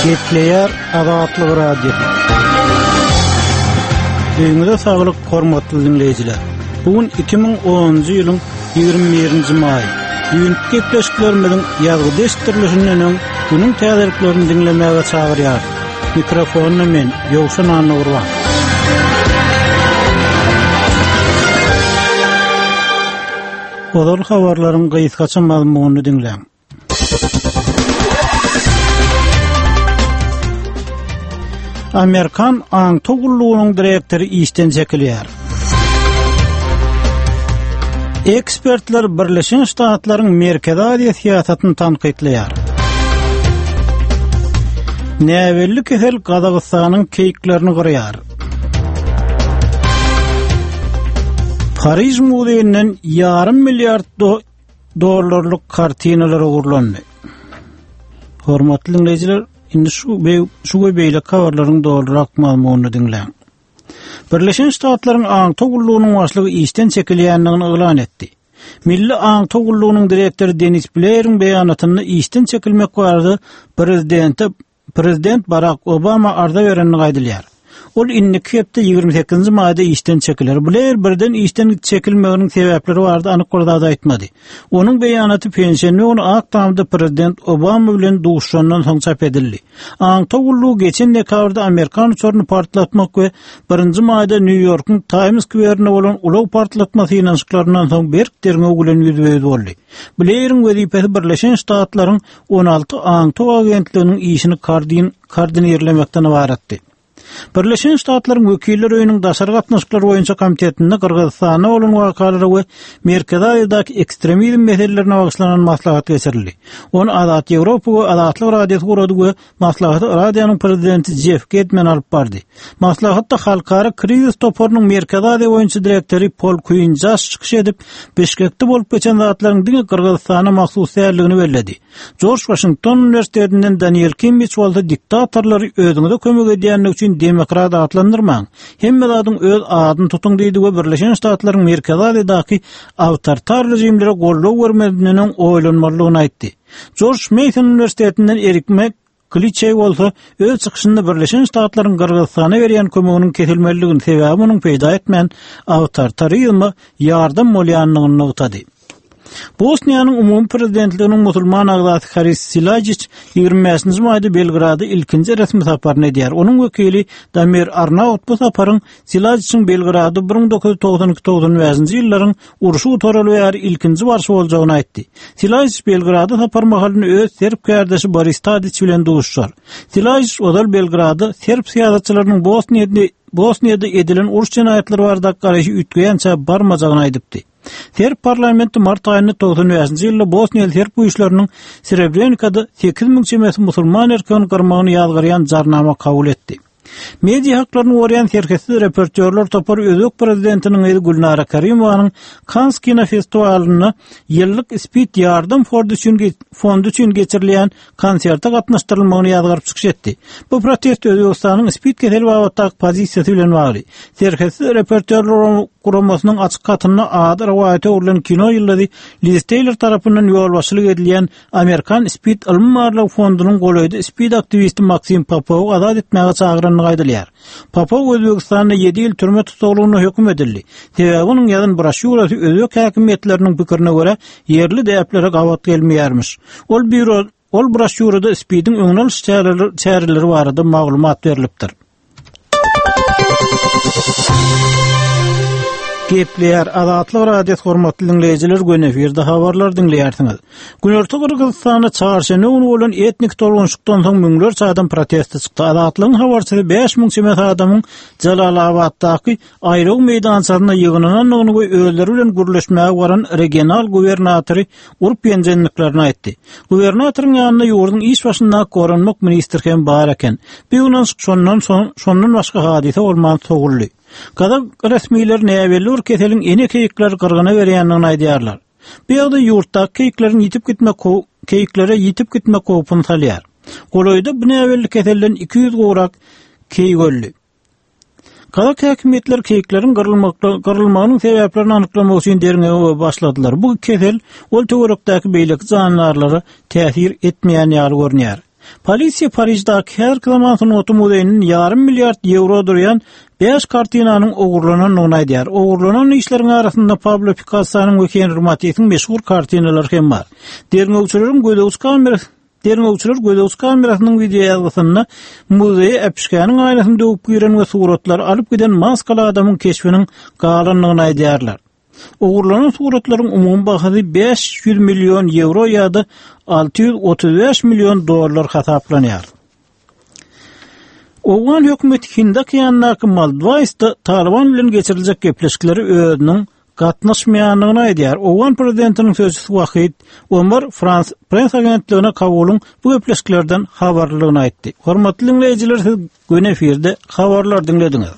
Gepleýär Azatlyk Radiosy. Öýüňize saglyk, hormatly diňleýjiler. Bu gün 2010-njy ýylyň 21-nji maýy. Düýnki gepleşiklerimiziň ýazgyda eşitdirilişinden öň günüň täzeliklerini diňlemäge çagyrýarys. Mikrofonda men, Ýowşan Annagurban. Ozal habarlaryň gysgaça mazmunyny diňläň. Amerikan aňtaw gullugynyň direktory işden çekilýär. Ekspertler Birleşen Ştatlaryň Merkezi Aziýa syýasatyny tankytlaýar. Näbelli kesel Gazagystanyň keýiklerini gyrýar. Pariž muzeýinden ýarym milliard dollarlyk kartinalar ogurlandy. Hormatly diňleýjiler, indi şu şu we beýleki habarlaryň dolurak mazmunyny diňläň. Birleşen Ştatlaryň aňtaw gullugynyň başlygy işden çekilýändigini yglan etdi. Milli aňtaw gullugynyň direktory Denis Bleýeriň beýanatynda işden çekilmek barada prezidente Prezident Barak Obama arza berendigi aýdylýar. Ol indiki hepde 28-nji maýda işden çekiler. Bleýer birden işden çekilmeginiň sebäpleri barada anyk bir zat aýtmady. Onuň beýanaty penşenbe güni Ak Tamda prezident Obama bilen duşuşandan soň çap edildi. Aňtaw gullugy geçen dekabrda amerikan uçaryny partlatmak we birinji maýda Nýu-Ýorkuň Taýms skwerinde bolan ulag partlatma synanyşyklaryndan soň berk derňew bilen ýüzbe-ýüz boldy. Bleýeriň wezipesi Birleşen Ştatlaryň 16 aňtaw agentliginiň işini koordinirlemekden ybaratdy. Birleşen Ştatlaryň Wekiller öýüniň Daşary gatnaşyklar boýunça komitetinde Gyrgyzystanda bolan wakalara we Merkezi Aziýadaky ekstremizm meselelerine bagyşlanan maslahat geçirildi. Ony Azat Ýewropa we Azatlyk Radiosy gurady we maslahaty radionyň prezidenti Jeff Gedman alyp bardy. Maslahatda Halkara krizis toparynyň Merkezi Aziýa boýunça direktory Pol Kuinjas çykyş edip, Bişkekde bolup geçen zatlaryň diňe Gyrgyzystana mahsus däldigini belledi. Jorj Waşington uniwersitetinden Daniel Kimmiç bolsa diktatorlary özüňize kömek edýändigi üçin demokrat atlandyrmaň, hemme zadyň öz adyny tutuň diýdi we Birleşen Ştatlaryň Merkezi Aziýadaky awtoritar režimlere goldaw bermezinden öň oýlanmalydygyny aýtdy. Jorj Meýson uniwersitetinden Erik Mek Kliçeý bolsa öz çykyşynda Birleşen Ştatlaryň Gyrgyzystana berýän kömeginiň kesilmelidigini, sebäbi munuň peýda etmän, awtoritarizme ýardam bolýandygyny nygtady. Bosniýanyň umumy prezidentliginiň musulman agzasy Haris Silajiç 25-nji maýda Belgrada ilkinji resmi saparyny edýär. Onuň wekili Damir Arnaut bu saparyň Silajiçiň Belgrada 1992-95-nji ýyllaryň urşy gutaraly bäri ilkinji barşy boljagyny aýtdy. Silajiç Belgrada sapar mahalynda öz serb kärdeşi Boris Tadiç bilen duşuşar. Silajiç ozal Belgrada serb syýasatçylarynyň Bosniýada Bosniýada edilen uruş jenaýatlary baradaky garaýşy üýtgeýänçä barmajagyny aýdypdy. Serb parlamenti mart aýynda 95-nji ýylda bosniýaly serb güýçleriniň Srebrenikada 8000 çemesi musulman erkegini gyrmagyny ýazgarýan jarnama kabul etdi. Media haklaryny goraýan Serhetsiz reportýorlar topary özbek prezidentiniň gyzy Gülnara Karimowanyň Kans kinofestiwalynda ýyllyk Spid ýardam fordy üçin fondy üçin geçirilýän konserte gatnaşdyrylmagyny ýazgaryp çykyş etdi. Bu protest Özbegistanyň Spid keseli babatdaky pozisiýasy bilen bagly. Serhetsiz reportýorlar guramasynyň açyk hatynda ady rowaýata öwrülen kino ýyldyzy Liz Teýlor tarapyndan ýolbaşçylyk edilýän Amerikan Spid ylmy-barlag fondunyň golaýda Spid aktiwisti Maksim Popowy azat etmäge çagyrandygy aýdylýar. Popow Özbegistanda ýedi ýyl türme tussaglygyna höküm edildi. Sebäbi onuň ýazan broşýurasy özbek häkimiýetleriniň pikirine görä, ýerli däplere gabat gelmeýärmiş. Ol býuro ol broşýurada Spidiň öňüni alyş çäreleri barada maglumat berlipdir. Gepleýär Azatlyk Radiosy hormatly diňleýjiler göni efirde habarlar diňleýärsiňiz. Günorta Gyrgyzystanda çarşenbe güni bolan etnik tolgunşykdan soň müňlerçe adam proteste çykdy. Azatlygyň habarçysy 5000 çemesi adamyň Jalalabatdaky aýlaw meýdançasynda ýygnanandygyny we özleri bilen gürleşmäge baran regional gubernatory urup ýenjendiklerini aýtdy. Gubernatoryň ýanynda ýurduň iş başyndaky goranmak ministri hem bar eken. Bu ýygnanyşyk şondan soň şondan başga hadysa bolman sowuldy. Gazak resmileri näbelli bir keseliň ene keýikleri gyrgyna berýändigini aýdýarlar. Bu ýagdaý ýurtdaky keýikleriň ýitip gitmek keýiklere ýitip gitmek howpuny salýar. Golaýda bu näbelli keselden 200 gowrak keýik öldi. Gazak häkimiýetleri keýikleriň gyrylmagynyň sebäplerini anyklamak üçin derňewe başladylar. Bu kesel ol töwerekdäki beýleki jandarlara täsir etmeýän ýaly görünýär. Polisiýa Pariždaky häzirki zaman sungaty muzeýinden ýarym milliard ýewro durýan bäş kartinanyň ogurlanandygyny aýdýar. Ogurlanan işleriň arasynda Pablo Pikassonyň we Henri Matisiň meşhur kartinalary hem bar. Derňewçileriň gözegçi kamerasy Derňewçiler gözegçi kamerasynyň wideoýazgysynda muzeýe äpişgäniň aýnasyny döwüp giren we suratlary alyp giden maskaly adamyň keşbiniň galandygyny aýdýarlar. Ogurlanan suratlaryň umumy bahasy 500 million ýewro ýa-da 635 million dollar hasaplanýar. Owgan hökümeti Hind okeanyndaky Maldwaýsda Talyban bilen geçiriljek gepleşiklere özüniň gatnaşmaýandygyny aýdýar. Owgan prezidentiniň sözçüsi Wahid Omar Frans Press agentligine Kabulyň bu gepleşiklerden habarlydygyny aýtdy. Hormatly diňleýjiler siz göni efirde habarlar diňlediňiz.